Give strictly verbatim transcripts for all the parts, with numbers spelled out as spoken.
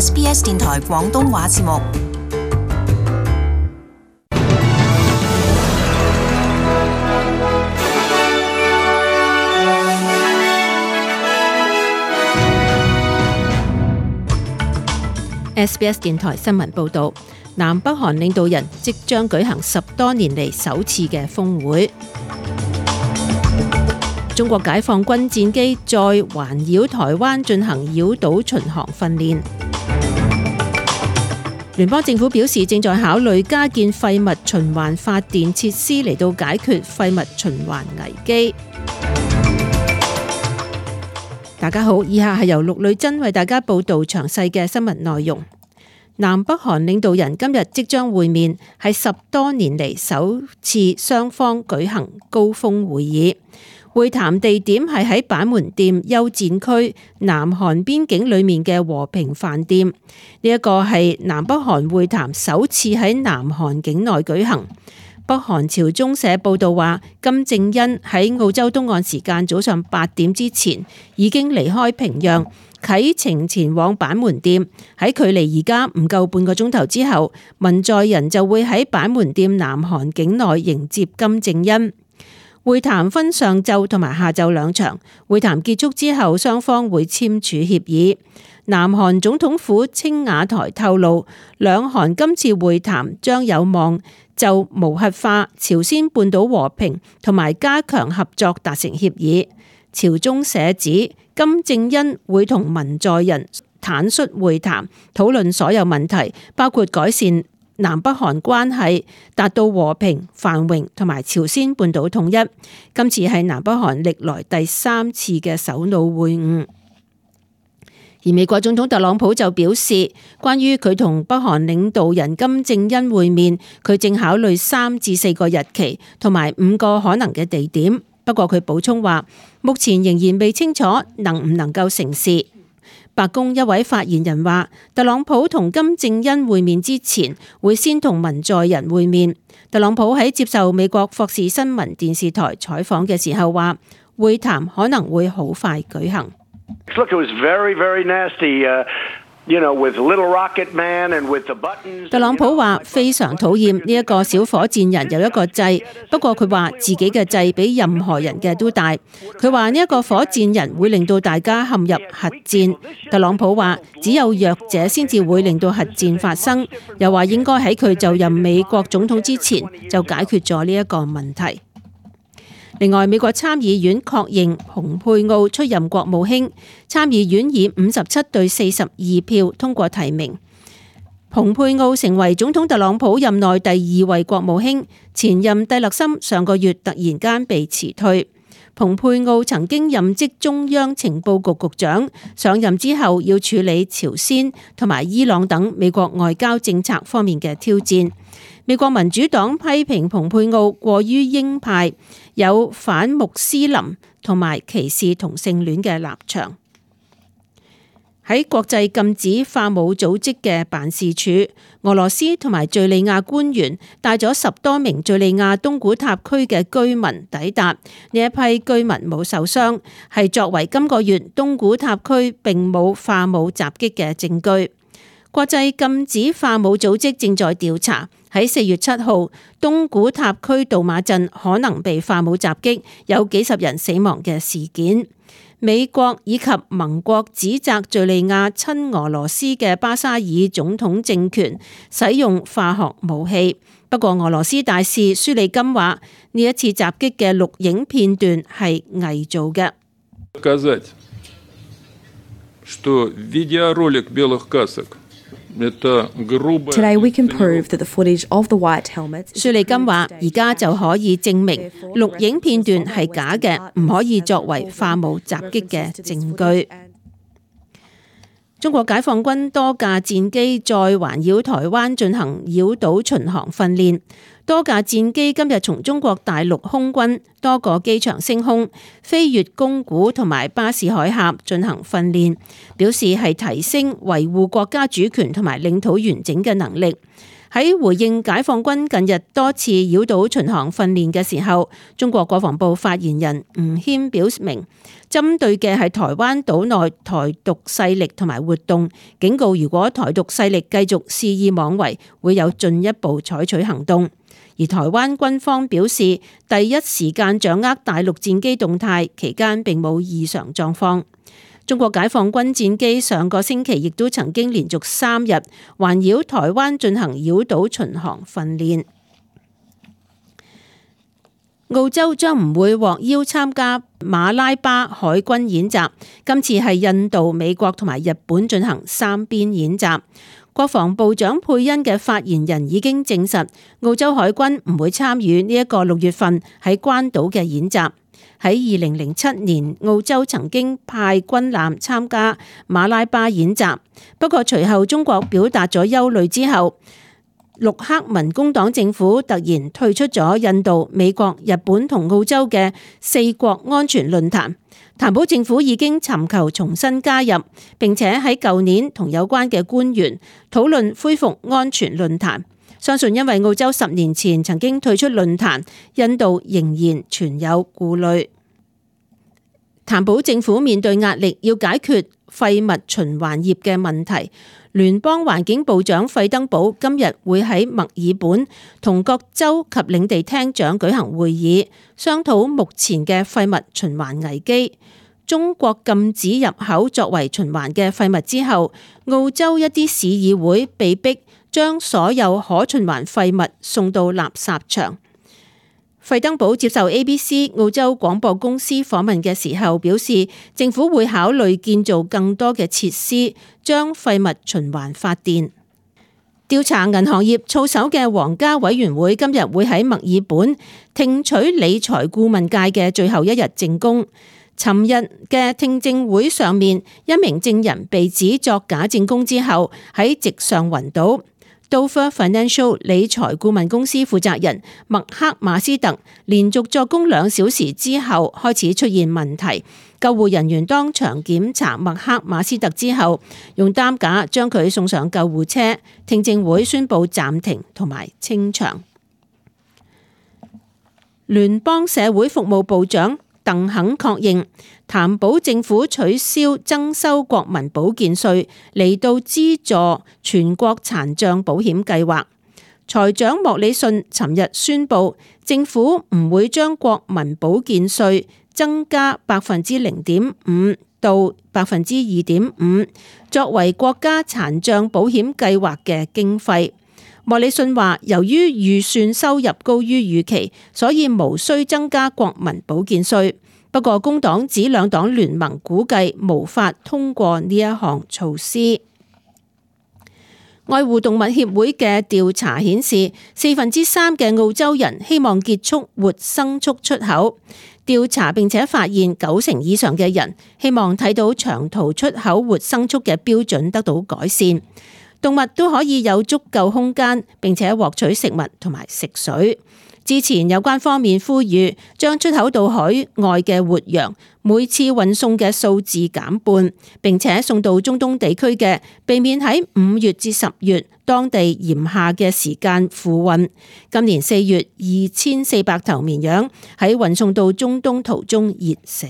S B S 電台廣東話節目。S B S 電台新聞報導，南北韓領導人即將舉行十多年嚟首次嘅峰會。中國解放軍戰機再環繞台灣進行繞島巡航訓練。聯邦政府表示正在考慮加建廢物循環發電設施嚟到解決廢物循環危機。大家好，以下係由陸女真為大家報道詳細嘅新聞內容。南北韓領導人今日即將會面，係十多年嚟首次雙方舉行高峰會議。會談地點係喺板門店休戰區南韓邊境裏面嘅和平飯店。呢一個係南北韓會談首次喺南韓境內舉行。北韓朝中社報道話，金正恩喺澳洲東岸時間早上八點之前已經離開平壤，啟程前往板門店。喺距離而家唔夠半個鐘頭之後，文在寅就會喺板門店南韓境內迎接金正恩。會談分上晝同埋下晝兩場，會談結束之後，雙方會簽署協議。南韓總統府青瓦台透露，兩韓今次會談將有望就無核化、朝鮮半島和平同埋加強合作達成協議。朝中社指，金正恩會同文在寅坦率會談，討論所有問題，包括改善南北韓關係，達到和平、繁榮同埋朝鮮半島統一。今次係南北韓歷來第三次嘅首腦會晤。而美國總統特朗普就表示，關於佢同北韓領導人金正恩會面，佢正考慮三至四個日期同埋五個可能嘅地點。不過佢補充話，目前仍然未清楚能唔能夠成事。白宮一位發言人話，特朗普同金正恩會面之前，會先同文在寅會面。特朗普喺接受美國霍士新聞電視台採訪嘅時候話，會談可能會好快舉行。Look, it was very, very nasty, uh, you know, with Little Rocket Man and with the buttons. 特朗普話非常討厭呢一個小火箭人有一個掣，不過佢話自己嘅掣比任何人嘅都大。佢話呢一個火箭人會令到大家陷入核戰。特朗普話只有弱者先至會令到核戰發生，又話應該喺佢就任美國總統之前就解決咗呢一個問題。另外，美國參議院確認蓬佩奧出任國務卿，參議院以五十七對四十二票通過提名。蓬佩奧成為總統特朗普任內第二位國務卿，前任蒂勒森上個月突然間被辭退。蓬佩奧曾經任職中央情報局局長，上任之後要處理朝鮮同埋伊朗等美國外交政策方面嘅挑戰。美國民主黨批評蓬佩奧過於鷹派，有反穆斯林同埋歧視同性戀嘅立場。喺國際禁止化武組織嘅辦事處，俄羅斯同埋敘利亞官員帶咗十多名敘利亞東古塔區嘅居民抵達，呢一批居民冇受傷，係作為今個月東古塔區並冇化武襲擊嘅證據。國際禁止化武組織正在調查喺四月七號東古塔區杜馬鎮可能被化武襲擊，有幾十人死亡嘅事件。美國以及盟國指責敘利亞親俄羅斯嘅巴沙爾總統政權使用化學武器。不過俄羅斯大使舒利金話，呢一次襲擊嘅錄影片段係偽造嘅。Today we can prove that the footage of the white helmets. 舒利金話：而家就可以證明錄影片段係假嘅，唔可以作為化武襲擊嘅證據。中國解放軍多架戰機再環繞台灣進行繞島巡航訓練。多架戰機今日從中國大陸空軍多個機場升空，飛越宮古同埋巴士海峽進行訓練，表示係提升維護國家主權同埋領土完整嘅能力。喺回應解放軍近日多次繞島巡航訓練嘅時候，中國國防部發言人吳謙表明，針對嘅係台灣島內台獨勢力同埋活動，警告如果台獨勢力繼續肆意妄為，會有進一步採取行動。而台灣軍方表示，第一時間掌握大陸戰機動態，期間並冇異常狀況。中國解放軍戰機上個星期亦都曾經連續三日環繞台灣進行繞島巡航訓練。澳洲將唔會獲邀參加馬拉巴海軍演習，今次係印度、美國同埋日本進行三邊演習。國防部長佩恩嘅發言人已經證實，澳洲海軍唔會參與呢一個六月份喺關島嘅演習。喺二零零七年，澳洲曾經派軍艦參加馬拉巴演習，不過隨後中國表達咗憂慮之後，陸克文工黨政府突然退出咗印度、美國、日本同澳洲嘅四國安全論壇。譚寶政府已經尋求重新加入，並且喺舊年同有關嘅官員討論恢復安全論壇。相信因為澳洲十年前曾經退出論壇，印度仍然存有顧慮。譚寶政府面對壓力，要解決廢物循環業嘅問題。聯邦環境部長費登堡今日會喺墨爾本同各州及領地廳長舉行會議，商討目前嘅廢物循環危機。中國禁止入口作為循環嘅廢物之後，澳洲一啲市議會被逼將所有可循環廢物送到垃圾場。費登堡接受 A B C 澳洲廣播公司訪問嘅時候表示，政府會考慮建造更多嘅設施，將廢物循環發電。調查銀行業操守嘅皇家委員會今日會喺墨爾本聽取理財顧問界嘅最後一日證供。尋日嘅聽證會上面，一名證人被指作假證供之後喺席上暈倒。Dover Financial 理財顧問公司負責人麥克馬斯特連續作供兩小時之後開始出現問題，救護人員當場檢查麥克馬斯特之後，用擔架將佢送上救護車。聽證會宣布暫停同埋清場。聯邦社會服務部長鄧肯確認，譚寶政府取消增收國民保健稅嚟到資助全國殘障保險計劃。財長莫里遜尋日宣布，政府唔會將國民保健稅增加百分之零點五到百分之二點五，作為國家殘障保險計劃嘅經費。莫里遜話，由於預算收入高於預期，所以無需增加國民保健稅。不過工黨指兩黨聯盟估計無法通過呢一項措施。愛護動物協會嘅調查顯示，四分之三嘅澳洲人希望結束活牲畜出口。調查並且發現，九成以上嘅人希望睇到長途出口活牲畜嘅標準得到改善。動物都可以有足夠空間，並且獲取食物同埋食水。之前有關方面呼籲將出口到海外嘅活羊每次運送嘅數字減半，並且送到中東地區嘅避免喺五月至十月當地炎夏嘅時間付運。今年四月二千四百頭綿羊喺運送到中東途中熱死。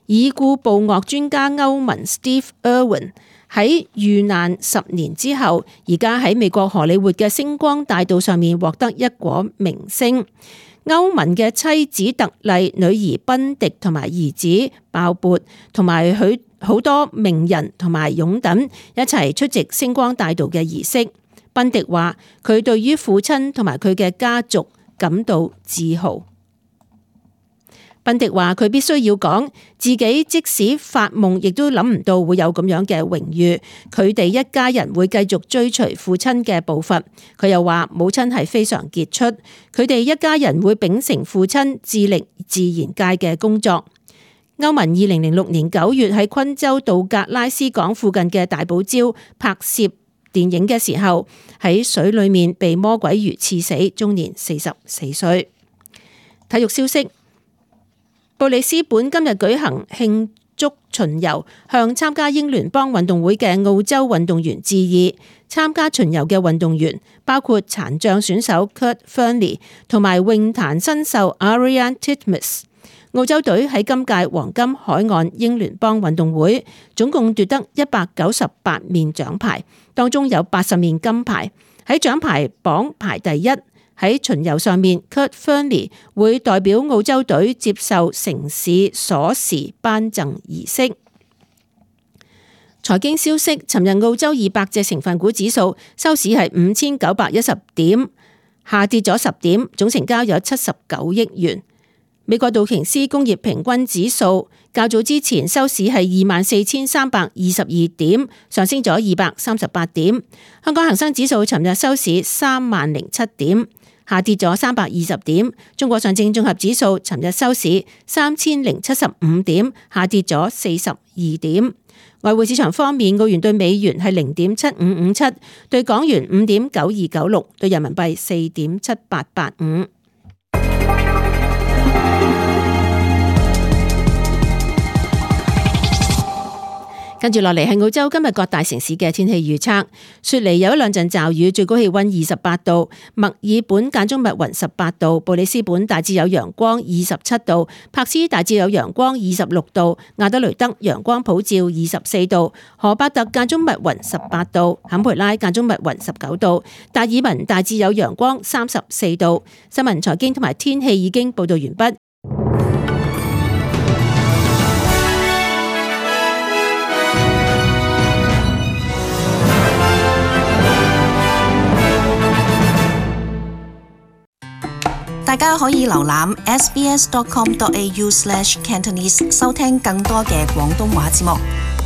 已故捕獲專家歐文 Steve Irwin 喺遇難十年之後，而家喺美國荷里活嘅星光大道上面獲得一果明星。歐文嘅妻子特麗、女兒賓迪同埋兒子鮑勃同埋許好多名人同埋擁躉一齊出席星光大道嘅儀式。賓迪話佢對於父親同埋佢嘅家族感到自豪。賓迪話佢必須要講自己即使發夢亦都諗唔到會有咁樣嘅榮譽，佢哋一家人會繼續追隨父親嘅步伐。佢又話母親係非常傑出，佢哋一家人會秉承父親致力自然界嘅工作。歐文二零零六年九月喺昆州道格拉斯港附近嘅大堡礁拍攝電影嘅時候，喺水裏面被魔鬼魚刺死，終年四十四歲。體育消息。布里斯本今日舉行慶祝巡遊，向參加英聯邦運動會嘅澳洲運動員致意。參加巡遊嘅運動員包括殘障選手 Kurt Fearnley 同埋泳壇新秀 Ariarne Titmus。澳洲隊喺今屆黃金海岸英聯邦運動會總共奪得一百九十八面獎牌，當中有八十面金牌，喺獎牌榜排第一。喺巡遊上面 Kurt Fearnley 會代表澳洲隊接受城市鎖匙頒贈儀式。財經消息，尋日澳洲二百隻成分股指數收市係五千九百一十點，下跌咗十點，總成交有七十九億元。美國道瓊斯工業平均指數較早之前收市係二萬四千三百二十二點，上升咗二百三十八點。香港恒生指數尋日收市三萬零七點，下跌咗三百二十點。中國上證綜合指數尋日收市三千零七十五點，下跌咗四十二點。外匯市場方面，澳元對美元係零點七五五七，對港元五點九二九六，對人民幣四點七八八五。跟住落嚟係澳洲今日各大城市嘅天氣預測。雪梨有一兩陣驟雨，最高氣溫二十八度；墨爾本間中密雲十八度；布里斯本大致有陽光二十七度；柏斯大致有陽光二十六度；亞德雷德陽光普照二十四度；荷伯特間中密雲十八度；坎培拉間中密雲十九度；達爾文大致有陽光三十四度。新聞財經同埋天氣已經報道完畢。大家可以瀏覽 s b s dot com dot a u slash cantonese 收聽更多嘅廣東話節目。